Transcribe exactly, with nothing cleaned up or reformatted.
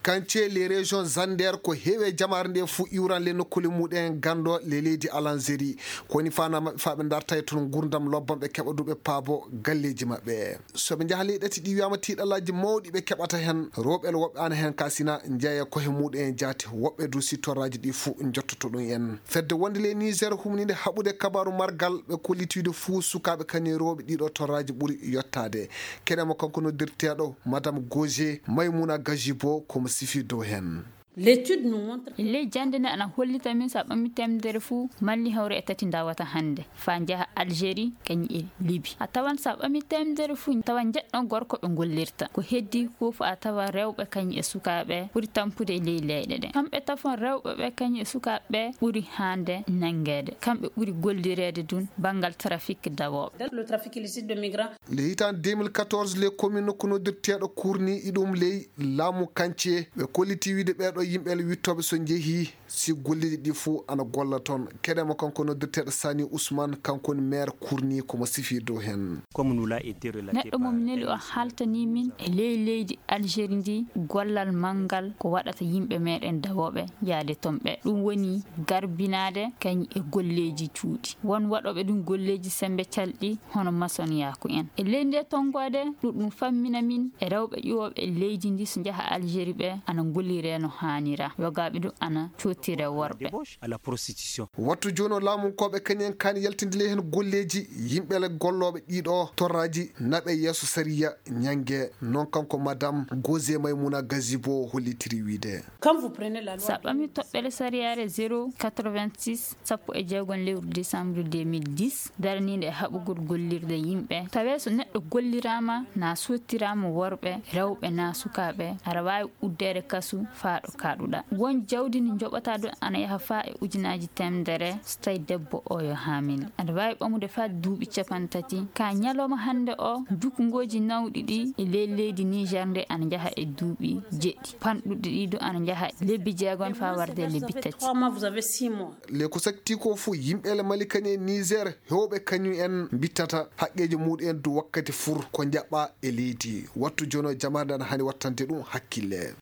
Kance les régions zander ko heewi e jamaare nde fuu iwran le nokkuule muɗen ganndo le leydi alanzeri. Ko woni faanaa maɓɓe faa ɓe ndarta e toon nguurndam lobban ɓe keɓa du ɓe paabo galleeji maɓɓe. So ɓe njaha ley ɗati ɗi wiyaama tiiɗalaaji mawɗi ɓe keɓata heen, rewɓe le woɓɓe ana heen ka sina njeeya kohe muɗen e jaati, woɓɓe du si torraaji ɗi fuu njottoto ɗum en. Fedde wonde le Niger humninde haɓude kabaaru margal ɓe kollitiiɗo fuu sukaaɓe kañum e rewɓe ɗiɗo torraaji ɓuri yottaade. Keɗe mo kanko noddirteeɗo Madame Gauger Maimouna Gajibo ko mo sifi dow heen. Ley jannde nde ana hollita min so a ɓami temedere fuu malli hawre e tati ndawata hannde faa njaha Algérie kañum e Libi. A tawan so a ɓami temedere fuu tawa njeɗɗo gorko ɓe ngollirta. Ko heddi fof a tawa rewɓe kañum e sukaaɓe ɓuri tampude e ley leyɗe ɗe. Kamɓe tafon rewɓe ɓe kañum e sukaaɓe ɓe ɓuri haande nanngeede. Kamɓe ɓuri gollireede dun banngal trafic dawooɓe. Le hitaande deux mille quatorze le commune nokku noddirteeɗo kurni iɗum ley laamu kance ɓe kolliti wiide ɓeeɗo yimɓe le wittooɓe so njehii si golliiɗi ɗi fuu ana golla toon. Keɗe mo kanko noddirteeɗo Sani Ousmane kanko woni maire kurni ko mo sifi dow heen. Neɗɗo mo mi neli o haltanii min e ley leydi Algérie ndi gollal manngal ko waɗata yimɓe meɗen dawooɓe yaade toon ɓe. Ɗum woni garbinaade kañ e golleeji cuuɗi. Won waɗooɓe ɗum golleeji semmbe calɗi hono masoniyaaku en. E ley ndee tonngoode ɗum ɗum fammina min e rewɓe ƴuwooɓe e leydi ndi so njaha Algérie ɓe ana ngolliree no haanira. Yogaaɓe du ana cottire worɓe. Wattu jooni o laamunkooɓe kañum en kaani yaltinde ley heen golleeji yimɓe le gollooɓe ɗiɗo torraaji naɓe yeeso sariya ñannge. Noon kanko Madame Gauger Maimouna Gazibo hollitiri wiide. So a ɓami toɓɓere sariyaare zéro quatre-vingt-six sappo e jeegom lewru décembre deux mille dix daraniinde e haɓugol gollirde yimɓe tawee so neɗɗo golliraama naa sottiraama worɓe rewɓe naa sukaaɓe aɗa waawi uddeede kasu faa ɗo kaaɗuɗaa. Won jawdi ndi njoɓataa ɗum ana yaha faa e ujunaaji teemedere so tawii debbo oo yo haamil. Aɗa waawi ɓamude faa duuɓi capanɗe tati. Ka ñalawma hannde oo, jukngooji nawɗi ɗi e ley leydi Niger nde ana njaha e duuɓi jeɗɗi. Panɗuɗi ɗi du ana njaha e lebbi jeegom faa warde e lebbi tati. Le ko sakti ko fof yimɓe le Mali kañum e Niger heewɓe kañum en mbittata haqqeeji muɗum en du wakkati fur ko njaɓɓaa e leydi. Wattu jooni o jamaare nde ana hani wattande ɗum hakkille.